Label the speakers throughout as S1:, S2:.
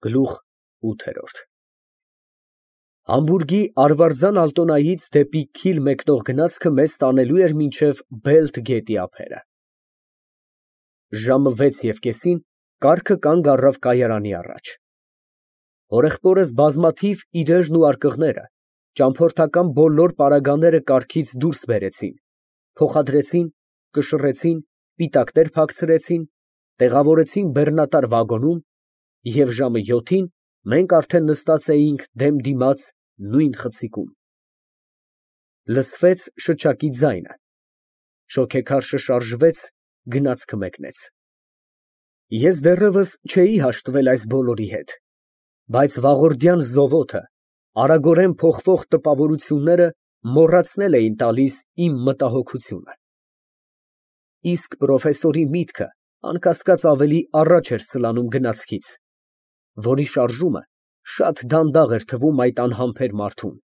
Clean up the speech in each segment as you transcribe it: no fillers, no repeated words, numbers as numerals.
S1: Գլուխ ՈՒԹԵՐՈՐԴ Համբուրգի Արվարձան Ալտոնայից դեպի Քիլ մեկնող գնացքը մեզ տանելու էր մինչև Բելթ գետի ափերը։ Ժամը 6:30-ին կառքը կանգ առավ կայարանի առաջ։ Հորեղբորս բազմաթիվ իրերն ու արկղները, ճամփորդական բոլոր պարագաները կառքից դուրս բերեցին, փոխադրեցին, կշռեցին, պիտակներ փակցրեցին, տեղավորեցին բեռնատար վագոնում, և ժամը 7-ին մենք արդեն նստած էինք դեմ դիմաց նույն խցիկում։ Լսվեց շչակի ձայնը, շոգեքարշը շարժվեց, գնացքը մեկնեց։ Ես դեռևս չէի հաշտվել այս բոլորի հետ, բայց վաղորդյան զովոթը, արագորեն փոխվող տպավորությունները մոռացնել էին տալիս իմ մտահոգությունը։ Իսկ պրոֆեսորի միտքը անկասկած ավելի առաջ էր սլանում գնացքից, որի շարժումը շատ դանդաղ էր թվում այդ անհամբեր մարդուն։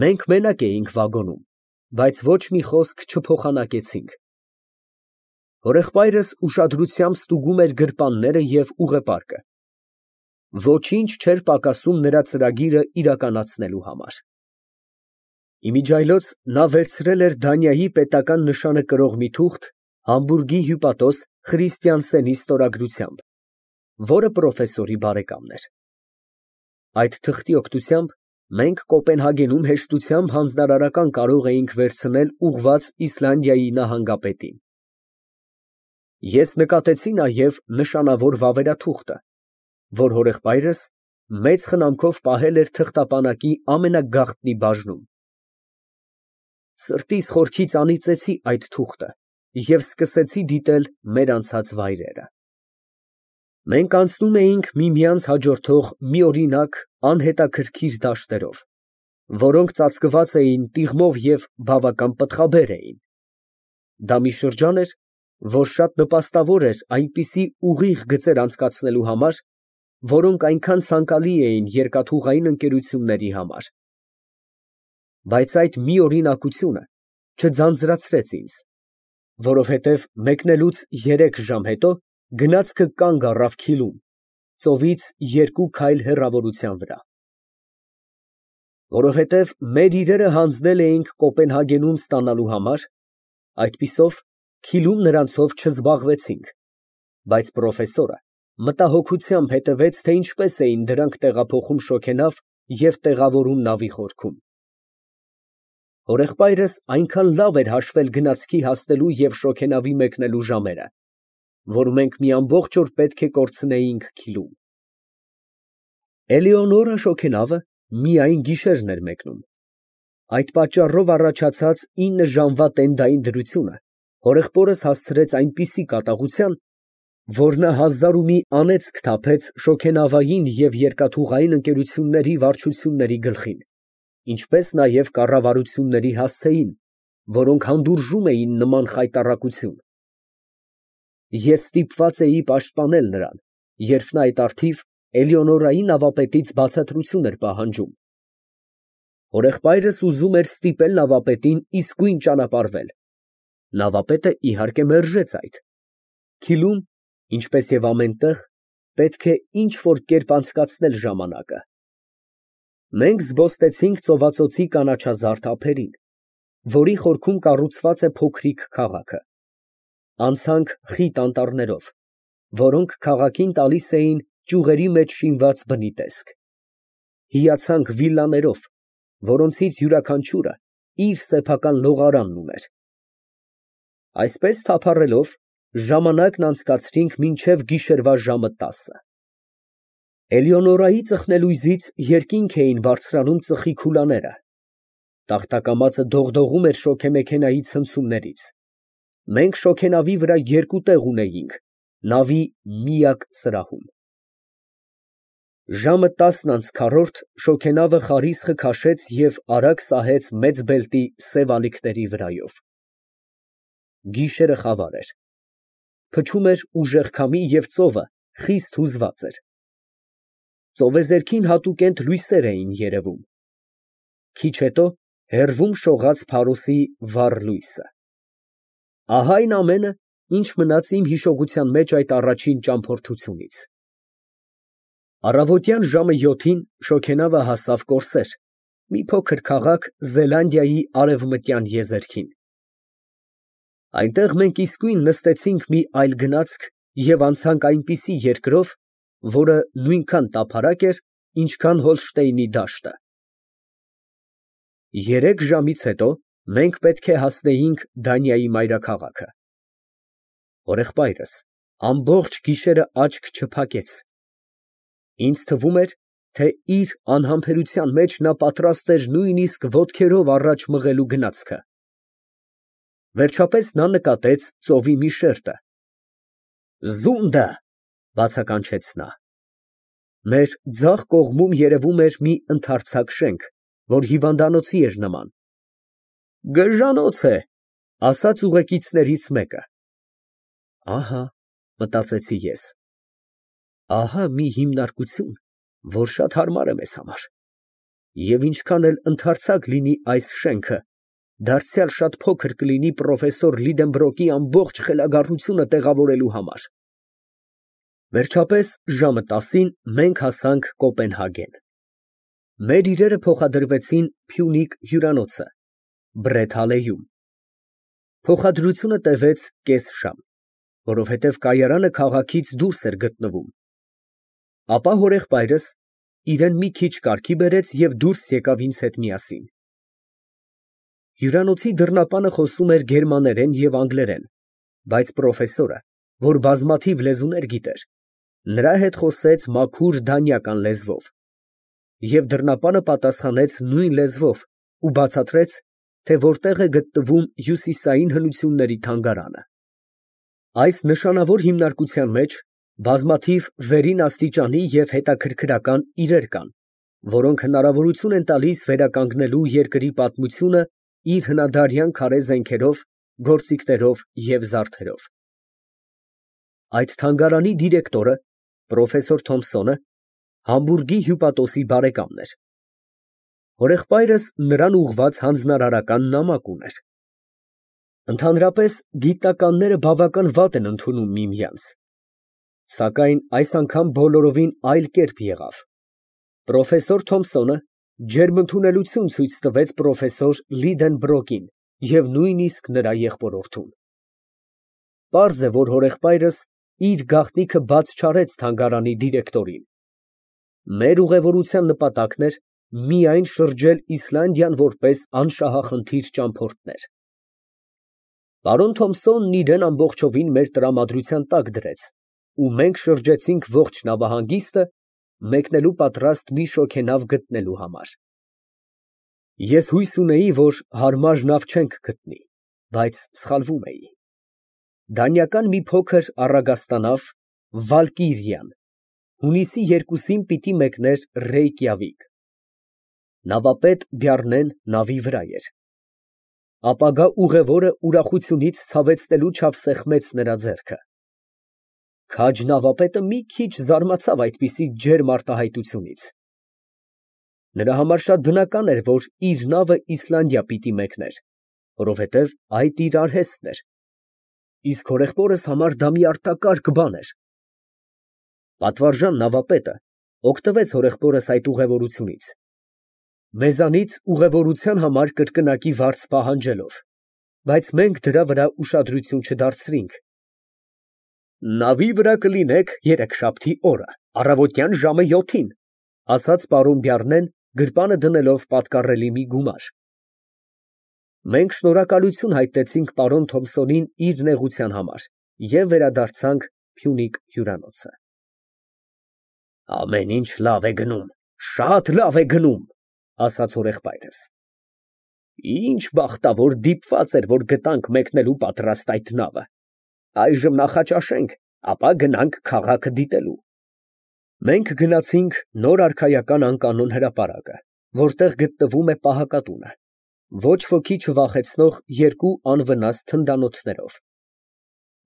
S1: Մենք մենակ էինք վագոնում, բայց ոչ մի խոսք չփոխանակեցինք։ Հորեղբայրս ուշադրությամբ ստուգում էր գրպանները և ուղեպարկը։ Ոչինչ չէր պակասում նրա ծրագիրը իրականացնելու համար։ Իմիջիայլոց նա վերցրել էր Դանիայի պետական նշանը կրող մի թուղթ Համբուրգի հյուպատոս Խրիստիանսենի ստորագրությամբ, որը պրոֆեսորի բարեկամն էր։ Այդ թղթի օգնությամբ մենք Կոպենհագենում հեշտությամբ հանձնարարական կարող էինք վերցնել ուղղված Իսլանդիայի նահանգապետին։ Ես նկատեցի նաև նշանավոր վավերաթուղթը, որ հորեղբայրս մեծ խնամքով պահել էր թղթապանակի ամենագաղտնի բաժնում։ Սրտիս խորքից անիծեցի այդ թուղթը և սկսեցի դիտել մեր անցած վայրերը։ Մենք անցնում էինք միմյանց հաջորդող միօրինակ, անհետաքրքիր դաշտերով, որոնք ծածկված էին տիղմով և բավական պտղաբեր էին։ Դա մի շրջան էր, որ շատ նպաստավոր էր այնպիսի ուղիղ գծեր անցկացնելու համար, որոնք այնքան ցանկալի էին երկաթուղային ընկերությունների համար։ Բայց այդ միօրինակությունը չձանձրացրեց ինձ, որովհետև մեկնելուց 3 ժամ հետո գնացքը կանգ առավ Քիլում, ծովից 2 քայլ հեռավորության վրա։ Որովհետև մեր իրերը հանձնել էինք Կոպենհագենում ստանալու համար, այդպիսով Քիլում նրանցով չզբաղվեցինք, բայց պրոֆեսորը մտահոգությամբ հետևեց, թե ինչպես էին դրանք տեղափոխում շոգենավ և տեղավորում նավի խորքում։ Հորեղբայրս այնքան լավ էր հաշվել գնացքի հասնելու և շոգենավի մեկնելու ժամերը, որ մենք մի ամբողջ օր պետք է կորցնեինք Քիլում։ Էլեոնորա շոգենավը միայն գիշերն էր մեկնում։ Այդ պատճառով առաջացած 9 ժամվա տենդային դրությունը հորեղբորս հասցրեց այնպիսի կատաղության, որ նա հազար ու մի անեծք թափեց շոգենավային և երկաթուղային ընկերությունների վարչությունների գլխին, ինչպես նաև կառավարությունների հասցեին, որոնք հանդուրժում էին նման խայտառակություն։ Ես ստիպված էի պաշտպանել նրան, երբ նա այդ առթիվ Էլեոնորայի նավապետից բացատրություն էր պահանջում։ Հորեղբայրս ուզում էր ստիպել նավապետին իսկույն ճանապարհվել։ Նավապետը, իհարկե, մերժեց այդ։ Քիլում, ինչպես և ամեն տեղ, պետք է ինչ֊որ կերպ անցկացնել ժամանակը։ Մենք զբոստեցինք ծովածոցի կանաչազարդ ափերին, որի խորքում կառուցված է փոքրիկ քաղաքը։ Անցանք խիտ անտառներով, որոնք քաղաքին տալիս էին ճյուղերի մեջ շինված բնի տեսք։ Հիացանք վիլլաներով, որոնցից յուրաքանչյուրը իր սեփական լողարանն ուներ։ Այսպես թափառելով ժամանակն անցկացրինք մինչև գիշերվա ժամը 10։ Էլեոնորայի ծխնելույզից երկինք էին բարձրանում ծխի քուլաները։ Տախտակամածը դողդողում էր շոգեմեքենայի ցնցումներից։ Մենք շոգենավի վրա 2 տեղ ունեինք, նավի միակ սրահում։ Ժամը 10:4 շոգենավը խարիսխը քաշեց և արագ սահեց մեծ բելտի սև ալիքների վրայով։ Գիշերը խավար էր։ Փչում էր ուժեղ քամի և ծովը խիստ հուզված էր։ Ծովեզերքին հատուկենտ լույսեր էին երևում։ Քիչ հետո հեռվում շողաց Փարոսի վառ լույսը։ Ահա այն ամենը, ինչ մնաց իմ հիշողության մեջ այդ առաջին ճամփորդությունից։ Առավոտյան ժամը 7-ին շոգենավը հասավ Կորսեր, մի փոքր քաղաք Զելանդիայի արևմտյան եզերքին։ Այնտեղ մենք իսկույն նստեցինք մի այլ գնացք և անցանք այնպիսի երկրով, որը նույնքան տափարակ էր, ինչքան Հոլշտեյնի դաշտը։ 3 ժամից հետո մենք պետք է հասնեինք Դանիայի մայրաքաղաքը։ Հորեղբայրս ամբողջ գիշերը աչք չփակեց։ Ինձ թվում էր, թե իր անհամբերության մեջ նա պատրաստ էր նույնիսկ ոտքերով առաջ մղելու գնացքը։ Վերջապես նա նկատեց ծովի մի շերտը։ «Զունդը», բացականչեց նա։ Մեր ձախ կողմում երևում էր մի ընդարձակ շենք, որ հիվանդանոցի էր նման։ «Գժանոց է», ասաց ուղեկիցներից մեկը։ Ահա, մտածեցի ես, ահա մի հիմնարկություն, որ շատ հարմար է մեզ համար, և ինչքան էլ ընդարձակ լինի այս շենքը, դարձյալ շատ փոքր կլինի պրոֆեսոր Լիդենբրոկի ամբողջ խելագարությունը տեղավորելու համար։ Վերջապես ժամը 10-ին մենք հասանք Կոպենհագեն։ Մեր իրերը փոխադրվեցին Փյունիկ հյուրանոցը, Բրետ հալեյում։ Փոխադրությունը տևեց կես ժամ, որովհետև կայարանը քաղաքից դուրս էր գտնվում։ Ապա հորեղբայրս իրեն մի քիչ կարգի բերեց և դուրս եկավ ինձ հետ միասին։ Հյուրանոցի դռնապանը խոսում էր գերմաներեն և անգլերեն, բայց պրոֆեսորը, որ բազմաթիվ լեզուներ գիտեր, նրա հետ խոսեց մաքուր դանիական լեզվով, և դռնապանը պատասխանեց նույն լեզվով ու բացատրեց, թե որտեղ է գտնվում հյուսիսային հնությունների թանգարանը։ Այս նշանավոր հիմնարկության մեջ բազմաթիվ վերին աստիճանի և հետաքրքրական իրեր կան, որոնք հնարավորություն են տալիս վերականգնելու երկրի պատմությունը իր հնադարյան քարե զենքերով, գործիքներով և զարդերով։ Այդ թանգարանի դիրեկտորը, պրոֆեսոր Թոմսոնը, Համբուրգի հյուպատոսի բարեկամն էր։ Հորեղբայրս նրան ուղղված հանձնարարական նամակ ուներ։ Ընդհանրապես գիտնականները բավական վատ են ընդունում միմյանց, սակայն այս անգամ բոլորովին այլ կերպ եղավ։ Պրոֆեսոր Թոմսոնը ջերմընդունելություն ցույց տվեց պրոֆեսոր Լիդենբրոկին և նույնիսկ նրա եղբորորդուն։ Պարզ է, որ հորեղբայրս իր գաղտնիքը բաց չարեց թանգարանի դիրեկտորին։ Մեր ուղևորության նպատակն էր միայն շրջել Իսլանդիան որպես անշահախնդիր ճամփորդներ։ Պարոն Թոմսոնն իրեն ամբողջովին մեր տրամադրության տակ դրեց, ու մենք շրջեցինք ողջ նավահանգիստը, մեկնելու պատրաստ մի շոգենավ գտնելու համար։ Ես հույս ունեի, որ հարմար նավ չենք գտնի, բայց սխալվում էի։ Դանիական մի փոքր առագաստանավ Վալկիրիան հունիսի 2-ին պիտի մեկներ Ռեյկյավիկ։ Նավապետ Բյառնեն նավի վրա էր։ Ապագա ուղևորը ուրախությունից ցավեցնելու չափ սեղմեց նրա ձեռքը։ Քաջ նավապետը մի քիչ զարմացավ այդպիսի ջերմ արտահայտությունից։ Նրա համար շատ բնական էր, որ իր նավը Իսլանդիա պիտի մեկներ, որովհետև այդ իր արհեստն էր, իսկ հորեղբորս համար դա մի արտակարգ բան էր։ Պատվարժան նավապետը օգտվեց հորեղբորս այդ ուղևորությունից, մեզանից ուղևորության համար կրկնակի վարձ պահանջելով, բայց մենք դրա վրա ուշադրություն չդարձրինք։ Նավի վրա կլինեք երեքշաբթի օրը, առավոտյան ժամը 7-ին, ասաց պարոն Բյառնեն, գրպանը դնելով պատկառելի մի գումար։ Մենք շնորհակալություն հայտնեցինք պարոն Թոմսոնին իր նեղության համար և վերադարձանք Փյունիկ հյուրանոցը։ Ամեն ինչ լավ է գնում, շատ լավ է գնում, ասաց հորեղբայրս։ Ինչ բախտավոր դիպված էր, որ գտանք մեկնելու պատրաստ այդ նավը։ Այժմ նախաճաշենք, ապա գնանք քաղաքը դիտելու։ Մենք գնացինք նոր արքայական անկանոն հրապարակը, որտեղ գտնվում է պահակատունը, ոչ ոքի չվախեցնող երկու անվնաս թնդանոթներով։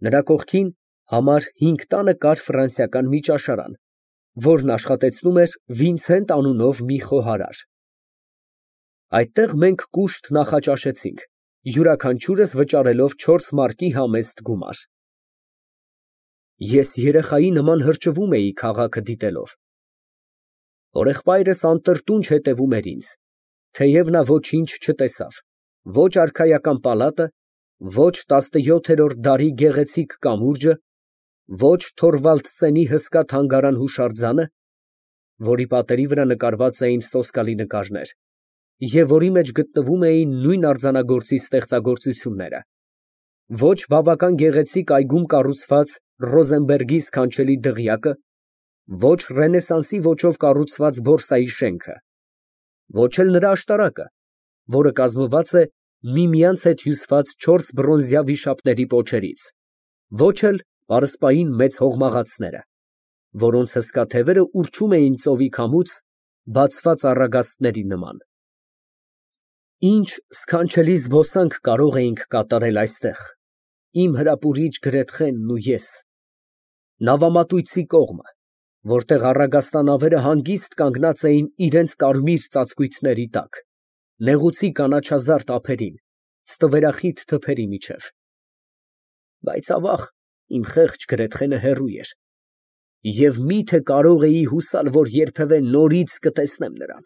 S1: Նրա կողքին համար 5 տանը կար ֆրանսիական մի ճաշարան, որն աշխատեցնում էր Վինսենտ անունով մի խոհարար։ Այդտեղ մենք կուշտ նախաճաշեցինք, յուրաքանչյուրս վճարելով 4 մարկի համեստ գումար։ Ես երեխայի նման հրճվում էի քաղաքը դիտելով։ Օրեղպայրս անտրտունջ հետևում էր ինձ, թեև նա ոչինչ չտեսավ, ոչ արքայական պալատը, ոչ 17-րդ դարի գեղեցիկ կամուրջը, ոչ Թորվալդսենի հսկա թանգարան֊հուշարձանը, որի պատերի վրա նկարված էին սոսկալի նկարներ, և որի մեջ գտնվում էին նույն արձանագործի ստեղծագործությունները, ոչ բավական գեղեցիկ այգում կառուցված Ռոզենբերգի սքանչելի դղյակը, ոչ ռենեսանսի ոճով կառուցված բորսայի շենքը, ոչ էլ նրա աշտարակը, որը կազմված է միմյանց հետ հյուսված 4 բրոնզյա վիշապների պոչերից, ոչ էլ պարսպային մեծ հողմաղացները, որոնց հսկա թևերը ուռչում էին ծովի քամուց բացված առագաստների նման։ Ինչ սքանչելի զբոսանք կարող էինք կատարել այստեղ, իմ հրապուրիչ Գրեթխենն ու ես։ Նավամատույցի կողմը, որտեղ առագաստանավերը հանգիստ կանգնած էին իրենց կարմիր ծածկույթների տակ, նեղուցի կանաչազարդ ափերին, ստվերախիտ թփերի միջև։ Բայց ավաղ, իմ խեղճ Գրեթխենը հեռու էր, և մի՞թե կարող էի հուսալ, որ երբևէ նորից կտեսնեմ նրան։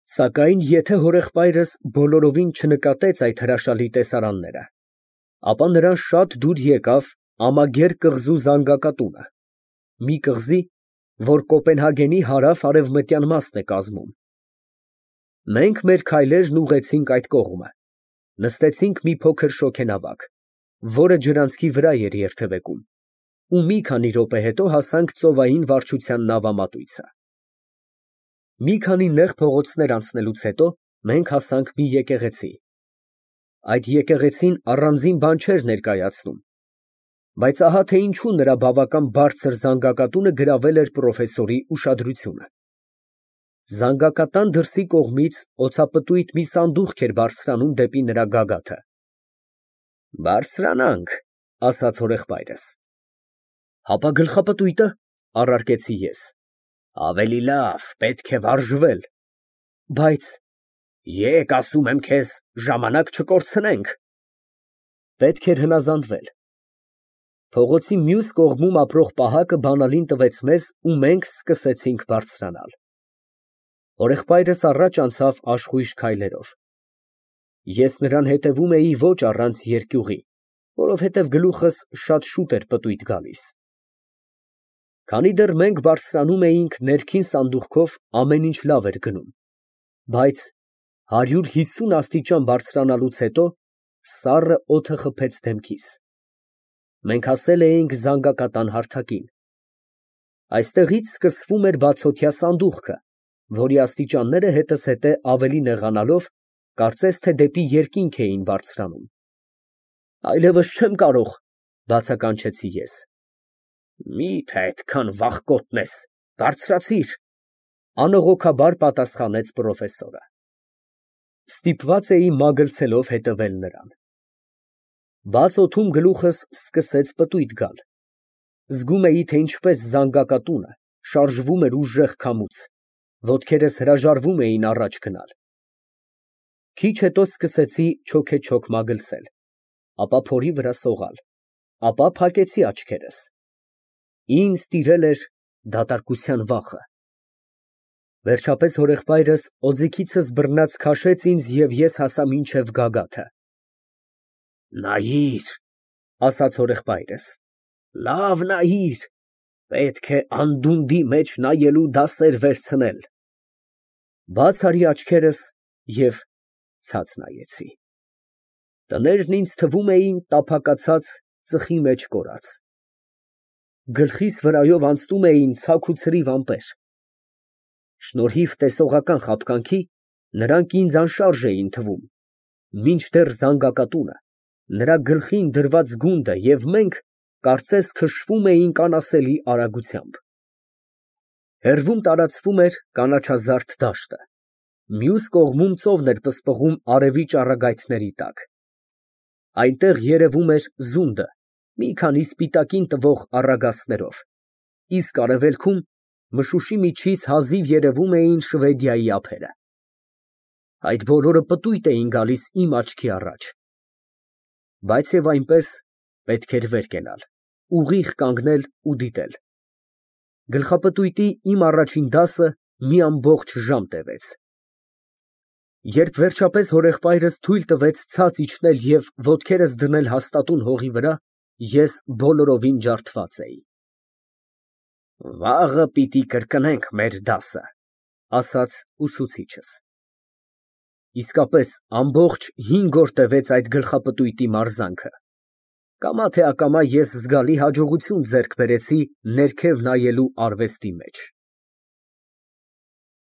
S1: Սակայն եթե հորեղբայրս բոլորովին չնկատեց այդ հրաշալի տեսարանները, ապա նրան շատ դուր եկավ Ամագեր կղզու զանգակատունը, մի կղզի, որ Կոպենհագենի հարավ֊արևմտյան մասն է կազմում։ Մենք մեր քայլերն ուղղեցինք այդ կողմը, նստեցինք մի փոքր շոգենավակ, որը ջրանցքի վրա էր երթևեկում, ու մի քանի րոպե հետո հասանք ծովային վարչության նավամատույցը։ Մի քանի նեղ փողոցներ անցնելուց հետո մենք հասանք մի եկեղեցի։ Այդ եկեղեցին առանձին բան չէր ներկայացնում, բայց ահա թե ինչու նրա բավական բարձր զանգակատունը գրավել էր պրոֆեսորի ուշադրությունը։ Զանգակատան դրսի կողմից օձապտույտ մի սանդուղք էր բարձրանում դեպի նրա գագաթը։ Բարձրանանք, ասաց հորեղբայրս։ Հապա գլխապտույտը, առարկեցի ես։ Ավելի լավ, պետք է վարժվել։ Բայց եկ, ասում եմ քեզ, ժամանակ չկորցնենք։ Պետք էր հնազանդվել։ Փողոցի մյուս կողմում ապրող պահակը բանալին տվեց մեզ ու մենք սկսեցինք բարձրանալ։ Հորեղբայրս առաջ անցավ աշխույժ քայլերով։ Ես նրան հետևում էի ոչ առանց երկյուղի, որովհետև գլուխս շատ շուտ էր պտույտ գալիս։ Քանի դեռ մենք բարձրանում էինք ներքին սանդուղքով, ամեն ինչ լավ էր գնում, բայց 150 աստիճան բարձրանալուց հետո սառը օդը խփեց դեմքիս։ Մենք հասել էինք զանգակատան հարթակին։ Այստեղից սկսվում էր բացօթյա սանդուղքը, որի աստիճանները հետզհետե ավելի նեղանալով, կարծես թե դեպի երկինք էին բարձրանում։ Այլևս չեմ կարող, բացականչեցի ես։ Մի՞թե այդքան վախկոտն ես, բարձրացիր, անողոքաբար պատասխանեց պրոֆեսորը։ Ստիպված էի մագլցելով հետևել նրան։ Բաց օդում գլուխս սկսեց պտույտ գալ։ Զգում էի, թե ինչպես զանգակատունը շարժվում էր ուժեղ քամուց, ոտքերս հրաժարվում էին առաջ գնալ։ Քիչ հետո սկսեցի չոքեչոք մագլցել, ապա փորի վրա սողալ, ապա փակեցի աչքերս։ Ինձ տիրել էր դատարկության վախը։ Վերջապես հորեղբայրս օձիքիցս բռնած քաշեց ինձ և ես հասա մինչև գագաթը։ Նայիր, ասաց հորեղբայրս, լավ նայիր, պետք է անդունդի մեջ նայելու դասեր վերցնել։ Բաց արի աչքերս և ցած նայեցի։ Տներն ինձ թվում էին տափակացած ծխի մեջ կորած։ Գլխիս վրայով անցնում էին ցաք ու ցրիվ ամպեր։ Շնորհիվ տեսողական խաբկանքի նրանք ինձ անշարժ էին թվում, մինչդեռ զանգակատունը, նրա գլխին դրված գունդը և մենք կարծես քշվում էինք անասելի արագությամբ։ Հեռվում տարածվում էր կանաչազարդ դաշտը, մյուս կողմում ծովն էր պսպղում արևի ճառագայթների տակ։ Այնտեղ երևում էր զունդը, մի քանի սպիտակին տվող առագաստներով, իսկ արևելքում մշուշի միջից հազիվ երևում էին Շվեդիայի ափերը։ Այդ բոլորը պտույտ էին գալիս իմ աչքի առաջ։ Բայց և այնպես պետք էր վեր կենալ, ուղիղ կանգնել ու դիտել։ Գլխապտույտի իմ առաջին դասը մի ամբողջ ժամ տևեց։ Երբ վերջապես հորեղբայրս թույլ տվեց ցած իջնել և ոտքերս դնել հաստատուն հողի վրա, ես բոլորովին ջարդված էի։ «Վաղը պիտի կրկնենք մեր դասը», ֊ ասաց ուսուցիչս։ Իսկապես, ամբողջ 5 օր տևեց այդ գլխապտույտի մարզանքը։ Կամա թե ակամա ես զգալի հաջողություն ձեռք բերեցի ներքև նայելու արվեստի մեջ։